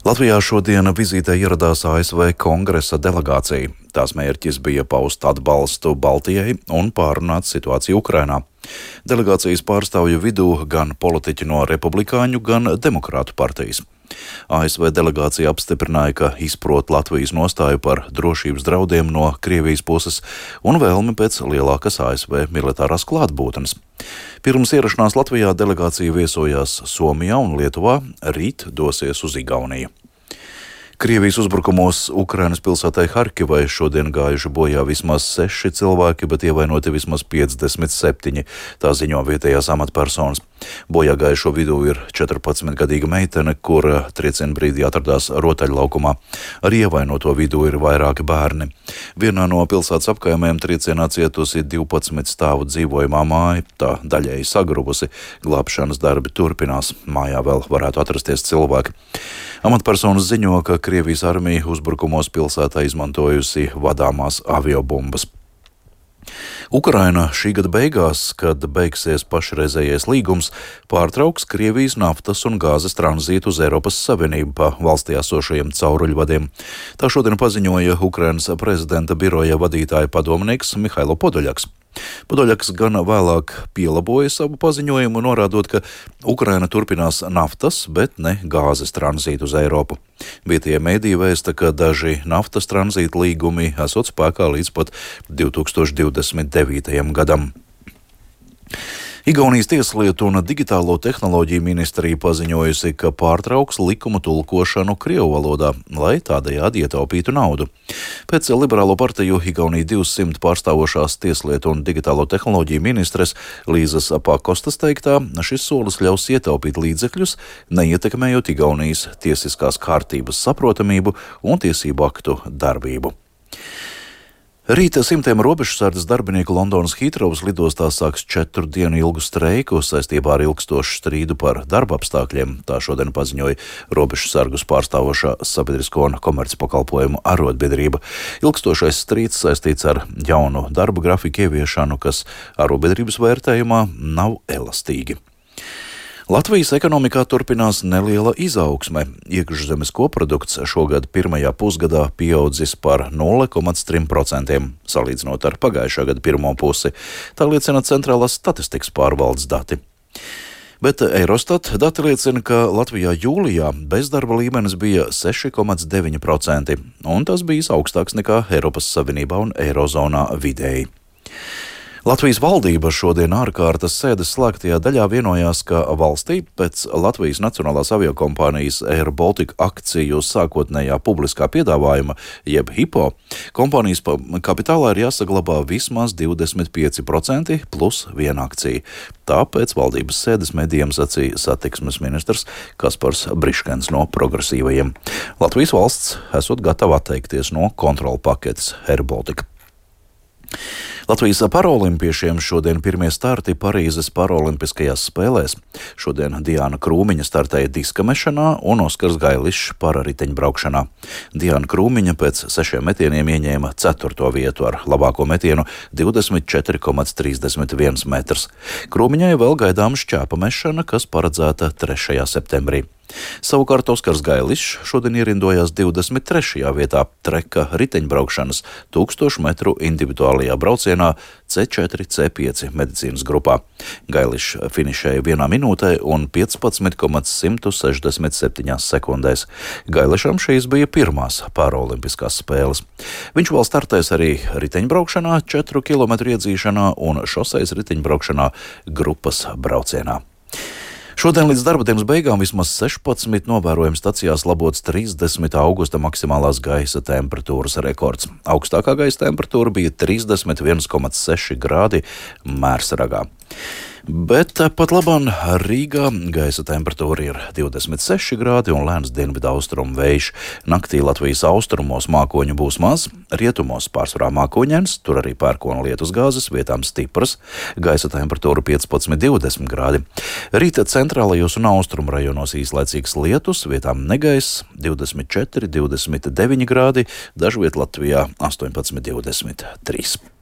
Latvijā šodien vizītē ieradās ASV kongresa delegācija. Tās mērķis bija paust atbalstu Baltijai un pārunāt situāciju Ukrainā. Delegācijas pārstāvju vidū gan politiķi no republikāņu, gan demokrātu partijas. ASV delegācija apstiprināja, ka izprot Latvijas nostāju par drošības draudiem no Krievijas puses un vēlmi pēc lielākas ASV militārās klātbūtnes. Pirms ierašanās Latvijā delegācija viesojās Somijā un Lietuvā, rīt dosies uz Igauniju. Krievijas uzbrukumos Ukrainas pilsētai Harkivai šodien gājuši bojā vismaz 6 cilvēki, bet ievainoti vismaz 57, tā ziņo vietējās amatpersonas. Bojā gājušo vidū ir 14-gadīga meitene, kura trieciena brīdī atradās rotaļlaukumā. Arī ievainoto vidū ir vairāki bērni. Vienā no pilsētas apkaimēm triecienā cietusi 12 stāvu dzīvojamā māja, tā daļēji sagrubusi. Glābšanas darbi turpinās, mājā vēl varētu atrasties cilvēki. Amatpersonas ziņo, ka Krievijas armija uzbrukumos pilsētā izmantojusi vadāmās aviobumbas. Ukraina šī gada beigās, kad beigsies pašreizējais līgums, pārtrauks Krievijas naftas un gāzes tranzītu uz Eiropas Savienību pa valstī esošajiem cauruļvadiem. Tā šodien paziņoja Ukrainas prezidenta biroja vadītāja padomnieks Mihailo Podoļaks. Podoļaks gan vēlāk pielaboja savu paziņojumu, norādot, ka Ukraina turpinās naftas, bet ne gāzes tranzītu uz Eiropu. Vietējie mediji vēsta, ka daži naftas tranzīta līgumi esot spēkā līdz pat 2029. gadam. Igaunijas tieslietu un digitālo tehnoloģiju ministrija paziņojusi, ka pārtrauks likumu tulkošanu krievu valodā, lai tādējādi ietaupītu naudu. Pēc Liberālo partiju Igaunija 200 pārstāvošās tieslietu un digitālo tehnoloģiju ministres Līzas Pakostas teiktā, šis solis ļaus ietaupīt līdzekļus, neietekmējot Igaunijas tiesiskās kārtības saprotamību un tiesību aktu darbību. Rīta simtiem robežsardzes darbinieku Londonas Hītrovas lidostā sāks 4 dienu ilgu streiku saistībā ar ilgstošu strīdu par darba apstākļiem. Tā šodien paziņoja robežsargus pārstāvošā sabiedrisko un komercpakalpojumu arotbiedrība. Ilgstošais strīds saistīts ar jaunu darba grafiku ieviešanu, kas arotbiedrības vērtējumā nav elastīgi. Latvijas ekonomikā turpinās neliela izaugsme. Iekšzemes koprodukts šogad pirmajā pusgadā pieaudzis par 0,3%, salīdzinot ar pagājušā gada pirmo pusi. Tā liecina Centrālās statistikas pārvaldes dati. Bet Eurostat dati liecina, ka Latvijā jūlijā bezdarba līmenis bija 6,9%, un tas bijis augstāks nekā Eiropas Savienībā un Eirozonā vidēji. Latvijas valdība šodien ārkārtas sēdes slēgtajā daļā vienojās, ka valstī pēc Latvijas Nacionālās aviokompānijas Air Baltica akciju sākotnējā publiskā piedāvājuma, jeb HIPO, kompānijas kapitālā ir jāsaglabā vismaz 25% plus 1 akcija. Tā pēc valdības sēdes medijiem sacīja satiksmes ministrs Kaspars Briškens no progresīvajiem. Latvijas valsts esot gatava atteikties no kontrolu paketes Air Baltica. Latvijas paraolimpiešiem šodien pirmie starti Parīzes paraolimpiskajās spēlēs. Šodien Diana Krūmiņa startēja diska mešanā un Oskars Gailišs parariteņbraukšanā. Diana Krūmiņa pēc 6 metieniem ieņēma 4. vietu ar labāko metienu 24,31 metrs. Krūmiņai vēl gaidām šķēpa mešana, kas paredzēta 3. septembrī. Savukārt Oskars Gailišs šodien ierindojās 23. vietā treka riteņbraukšanas 1000 metru individuālajā braucienā C4, C5 medicīnas grupā. Gailišs finišēja 1 minūtē un 15,167 sekundēs. Gailišam šīs bija pirmās paraolimpiskās spēles. Viņš vēl startēs arī riteņbraukšanā, 4 km iedzīšanā un šoseis riteņbraukšanā grupas braucienā. Šodien līdz darba dienas beigām vismaz 16 novērojumu stacijās labots 30. augusta maksimālās gaisa temperatūras rekords. Augstākā gaisa temperatūra bija 31,6 grādi Mērsragā. Bet pat labāk Rīgā gaisa temperatūra ir 26 grādi un lēns dienvidu austrumu vējš. Naktī Latvijas austrumos mākoņu būs maz, rietumos pārsvarā mākoņains, tur arī pērkona lietus gāzes, vietām stipras, gaisa temperatūra 15–20 grādi. Rīta centrālajos un austrumu rajonos īslaicīgs lietus, vietām negaiss 24–29 grādi, dažviet Latvijā 18–23.